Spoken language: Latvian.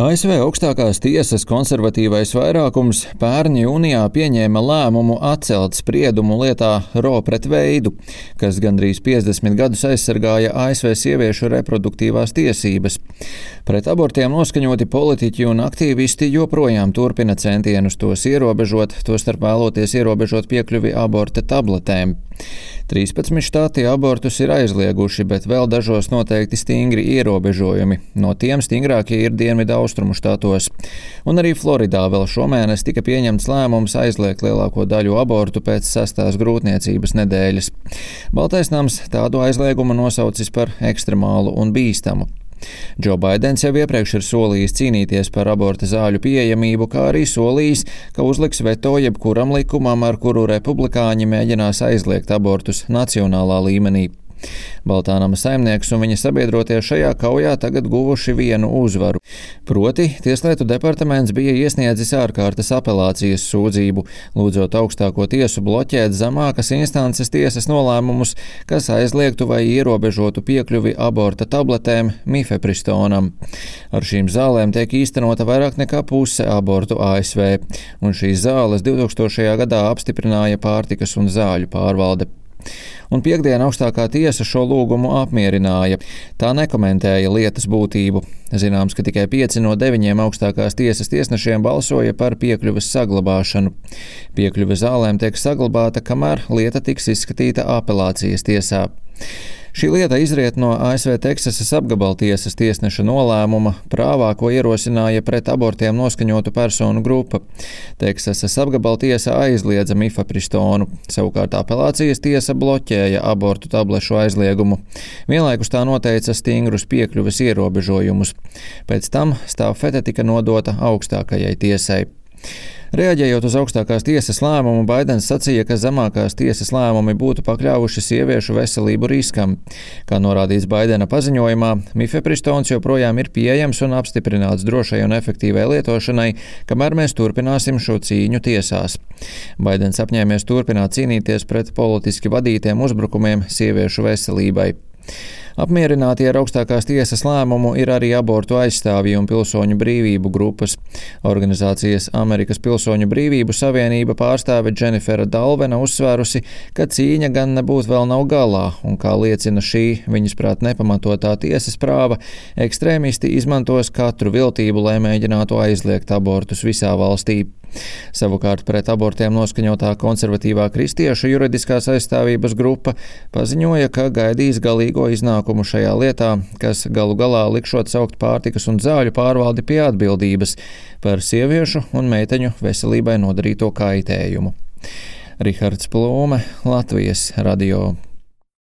ASV augstākās tiesas konservatīvais vairākums pērn jūnijā pieņēma lēmumu atcelt spriedumu lietā Roe pret Veidu, kas gandrīz 50 gadus aizsargāja ASV sieviešu reproduktīvās tiesības. Pret abortiem noskaņoti politiķi un aktīvisti joprojām turpina centienus tos ierobežot, tostarp vēloties ierobežot piekļuvi aborta tabletēm. 13 štāti abortus ir aizlieguši, bet vēl dažos noteikti stingri ierobežojumi. No tiem stingrākie ir Dienvidaustrumu štatos. Un arī Floridā vēl šomēnes tika pieņemts lēmums aizliegt lielāko daļu abortu pēc 6. grūtniecības nedēļas. Baltais nams tādu aizliegumu nosaucis par ekstremālu un bīstamu. Džo Baidens jau iepriekš ir solījis cīnīties par aborta zāļu pieejamību, kā arī solījis, ka uzliks veto jebkuram likumam, ar kuru republikāņi mēģinās aizliegt abortus nacionālā līmenī. Baltā nama saimnieks un viņa sabiedrotie šajā kaujā tagad guvuši vienu uzvaru. Proti, Tieslietu departaments bija iesniedzis ārkārtas apelācijas sūdzību, lūdzot augstāko tiesu bloķēt zemākas instances tiesas nolēmumus, kas aizliegtu vai ierobežotu piekļuvi aborta tabletēm mifepristonam. Ar šīm zālēm tiek īstenota vairāk nekā puse abortu ASV, un šīs zāles 2000. gadā apstiprināja Pārtikas un zāļu pārvalde. Un piektdien augstākā tiesa šo lūgumu apmierināja. Tā nekomentēja lietas būtību. Zināms, ka tikai 5 no 9 augstākās tiesas tiesnešiem balsoja par piekļuves saglabāšanu. Piekļuve zālēm tiek saglabāta, kamēr lieta tiks izskatīta apelācijas tiesā. Šī lieta izriet no ASV Teksasas apgabaltiesas tiesneša nolēmuma prāvā, ko ierosināja pret abortiem noskaņotu personu grupa. Teksasas apgabaltiesa aizliedza mifepristonu, savukārt apelācijas tiesa bloķēja abortu tablešu aizliegumu. Vienlaikus tā noteica stingrus piekļuves ierobežojumus. Pēc tam stafete tika nodota augstākajai tiesai. Reaģējot uz augstākās tiesas lēmumu, Baidens sacīja, ka zemākās tiesas lēmumi būtu pakļāvuši sieviešu veselību riskam. Kā norādīts Baidena paziņojumā, mifepristons joprojām ir pieejams un apstiprināts drošai un efektīvai lietošanai, kamēr mēs turpināsim šo cīņu tiesās. Baidens apņēmies turpināt cīnīties pret politiski vadītiem uzbrukumiem sieviešu veselībai. Apmierināti ar augstākās tiesas lēmumu ir arī abortu aizstāvji un pilsoņu brīvību grupas. Organizācijas Amerikas Pilsoņu brīvību savienība pārstāve Dženifera Dalvena uzsvērusi, ka cīņa gan nebūtu vēl nav galā, un kā liecina šī, viņas prāt nepamatotā tiesas prāva, ekstrēmisti izmantos katru viltību, lai mēģinātu aizliegt abortus visā valstī. Savukārt pret abortiem noskaņotā konservatīvā kristiešu juridiskās aizstāvības grupa paziņoja, ka gaidīs galīgo iznākumu šajā lietā, kas galu galā likšot saukt Pārtikas un zāļu pārvaldi pie atbildības par sieviešu un meiteņu veselībai nodarīto kaitējumu. Rihards Plūme, Latvijas radio.